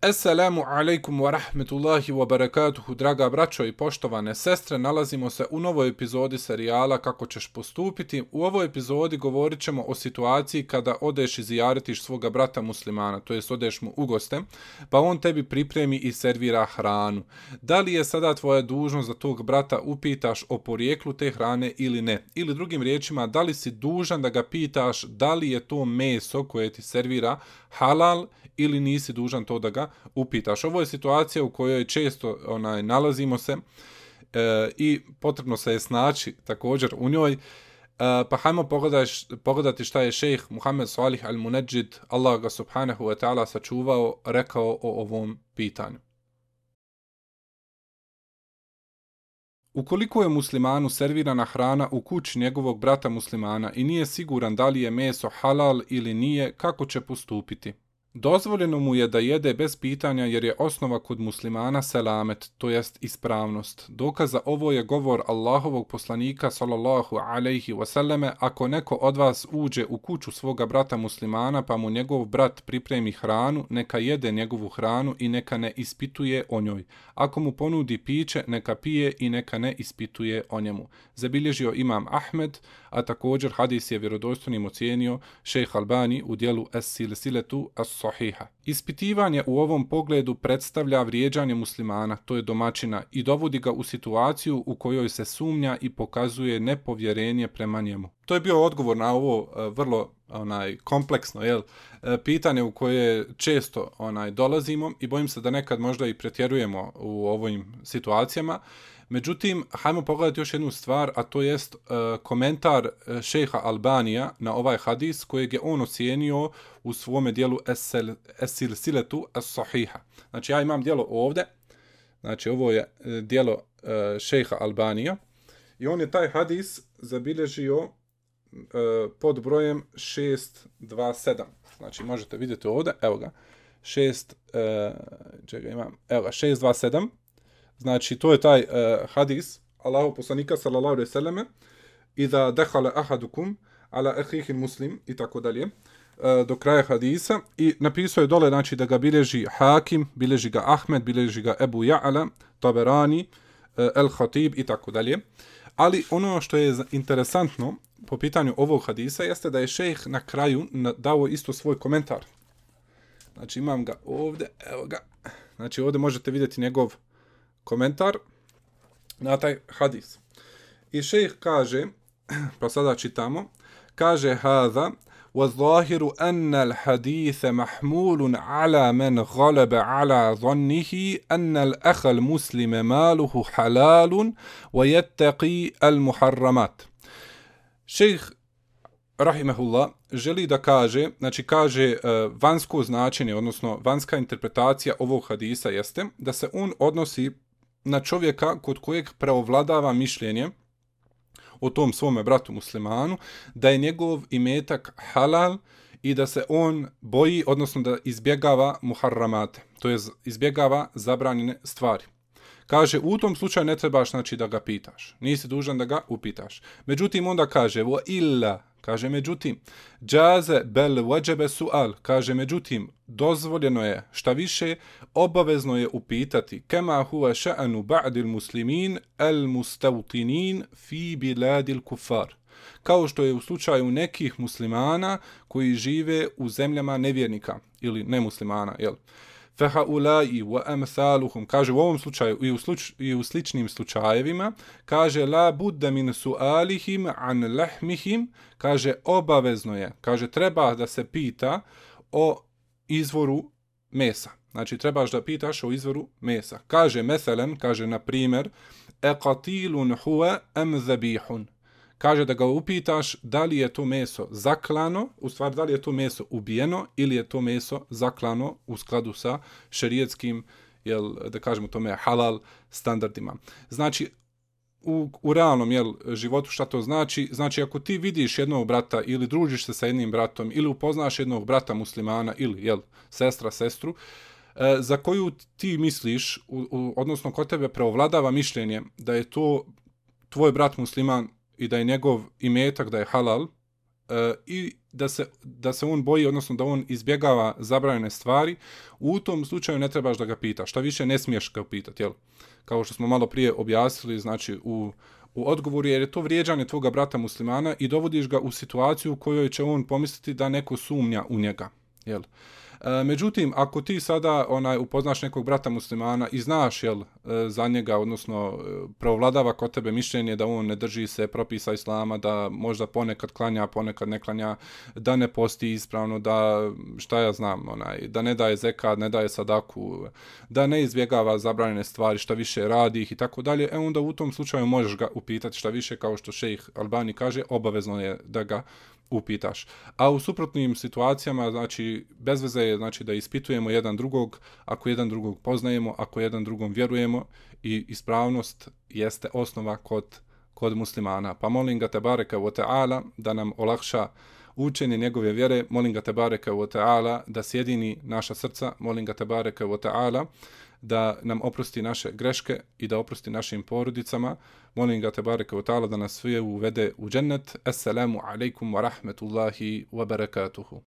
Assalamu alaikum wa rahmetullahi wa barakatuhu, draga braćo i poštovane sestre, nalazimo se u novoj epizodi serijala Kako ćeš postupiti. U ovoj epizodi govorit ćemo o situaciji kada odeš i zijaretiš svoga brata muslimana, to jest odeš mu u goste, pa on tebi pripremi i servira hranu. Da li je sada tvoja dužnost da tog brata upitaš o porijeklu te hrane ili ne? Ili drugim riječima, da li si dužan da ga pitaš da li je to meso koje ti servira halal ili nisi dužan to da ga upitaš. Ovo je situacija u kojoj često nalazimo se i potrebno se je snaći također u njoj. Pa hajmo pogledati šta je šejh Muhammed Salih al-Munajjid, Allah ga subhanahu wa ta'ala sačuvao, rekao o ovom pitanju. Ukoliko je muslimanu servirana hrana u kući njegovog brata muslimana i nije siguran da li je meso halal ili nije, kako će postupiti? Dozvoljeno mu je da jede bez pitanja jer je osnova kod muslimana selamet, to jest ispravnost. Dokaz za ovo je govor Allahovog poslanika sallallahu alejhi ve selleme: ako neko od vas uđe u kuću svoga brata muslimana pa mu njegov brat pripremi hranu, neka jede njegovu hranu i neka ne ispituje o njoj. Ako mu ponudi piće, neka pije i neka ne ispituje o njemu. Zabilježio imam Ahmed, a također hadis je vjerodostojnim ocijenio šejh Albani u dijelu Es-Silsiletu as-Sahiha. Ispitivanje u ovom pogledu predstavlja vrijeđanje muslimana, to je domaćina, i dovodi ga u situaciju u kojoj se sumnja i pokazuje nepovjerenje prema njemu. To je bio odgovor na ovo vrlo kompleksno pitanje u koje često dolazimo i bojim se da nekad možda i pretjerujemo u ovim situacijama. Međutim, hajmo pogledati još jednu stvar, a to jest komentar šejha Albanija na ovaj hadis kojeg je on ocijenio u svome dijelu Es-Silsiletu as-Sahiha. Znači, ja imam dijelo ovdje, znači ovo je dijelo šejha Albanija i on je taj hadis zabilježio pod brojem 627. Znači, možete vidjeti ovdje, evo ga, 627. Znači, to je taj hadis Allahu poslanika sallallahu alejhi ve selleme: "Iza dakhala ahadukum ala akhihi muslim" i tako dalje, do kraja hadisa, i napisao je dole, znači, da ga bilježi Hakim, bilježi ga Ahmed, bilježi ga Ebu Ja'ala, Taberani, El-Khatib i tako dalje. Ali ono što je interesantno po pitanju ovog hadisa jeste da je šejh na kraju dao isto svoj komentar. Znači, imam ga ovdje, evo ga. Znači, ovdje možete vidjeti njegov komentar na taj hadis. I šejh kaže, pa sada čitamo, kaže: "Hada والظاهر أن الحديث محمول على من غلب على ظنه أن الأخ المسلم ماله حلال ويتقي المحرمات." Šejh rahimehullah želi da kaže, znači kaže vanjsko značenje, odnosno vanjska interpretacija ovog hadisa jeste da se on odnosi na čovjeka kod kojeg preovladava mišljenje o tom svome bratu muslimanu, da je njegov imetak halal i da se on boji, odnosno da izbjegava muharramate, to je izbjegava zabranjene stvari. Kaže, u tom slučaju ne trebaš, znači, da ga pitaš. Nisi dužan da ga upitaš. Međutim, onda kaže, vo illa, kaže, međutim, džaze bel wajebe sual, kaže, međutim, dozvoljeno je, šta više, obavezno je upitati, kema huwa ša'anu ba'dil muslimin el mustavtinin fi biladil kufar, kao što je u slučaju nekih muslimana koji žive u zemljama nevjernika ili nemuslimana, jel? Fahaulai wa amsaluhum, kaže u ovom slučaju i u sličnim slučajevima, kaže la budda min sualihim an lahmihim, kaže obavezno je, kaže treba da se pita o izvoru mesa. Znači trebaš da pitaš o izvoru mesa. Kaže meselen, kaže na primjer, eqatilun huwa am zabihun. Kaže da ga upitaš da li je to meso zaklano, u stvari da li je to meso ubijeno ili je to meso zaklano u skladu sa šerijetskim, da kažemo tome, halal standardima. Znači, u realnom životu šta to znači? Znači, ako ti vidiš jednog brata ili družiš se sa jednim bratom ili upoznaš jednog brata muslimana ili sestru, za koju ti misliš, odnosno kod tebe preovladava mišljenje da je to tvoj brat musliman i da je njegov imetak da je halal, i da se on boji, odnosno da on izbjegava zabranjene stvari, u tom slučaju ne trebaš da ga pitaš. Šta više ne smiješ ga pitati, jel? Kao što smo malo prije objasnili, znači u odgovoru, jer je to vrijeđanje tvoga brata muslimana i dovodiš ga u situaciju u kojoj će on pomisliti da neko sumnja u njega, jel? Međutim, ako ti sada upoznaš nekog brata muslimana i znaš za njega, odnosno preovladava kod tebe mišljenje da on ne drži se propisa islama, da možda ponekad klanja, ponekad ne klanja, da ne posti ispravno, da šta ja znam, da ne daje zekat, ne daje sadaku, da ne izbjegava zabranjene stvari, šta više radi ih i tako dalje, onda u tom slučaju možeš ga upitati šta više, kao što šejh Albani kaže, obavezno je da ga upitaš. A u suprotnim situacijama, znači, bez veze je znači, da ispitujemo jedan drugog, ako jedan drugog poznajemo, ako jedan drugom vjerujemo, i ispravnost jeste osnova kod muslimana. Pa molim ga tebareka wa ta'ala da nam olakša učenje njegove vjere, molim ga tebareka wa ta'ala da sjedini naša srca, molim ga tebareka wa ta'ala da nam oprosti naše greške i da oprosti našim porodicama. Molim ga tebareka wa ta'ala da nas sve uvede u džennet. Assalamu alaikum wa rahmetullahi wa barakatuhu.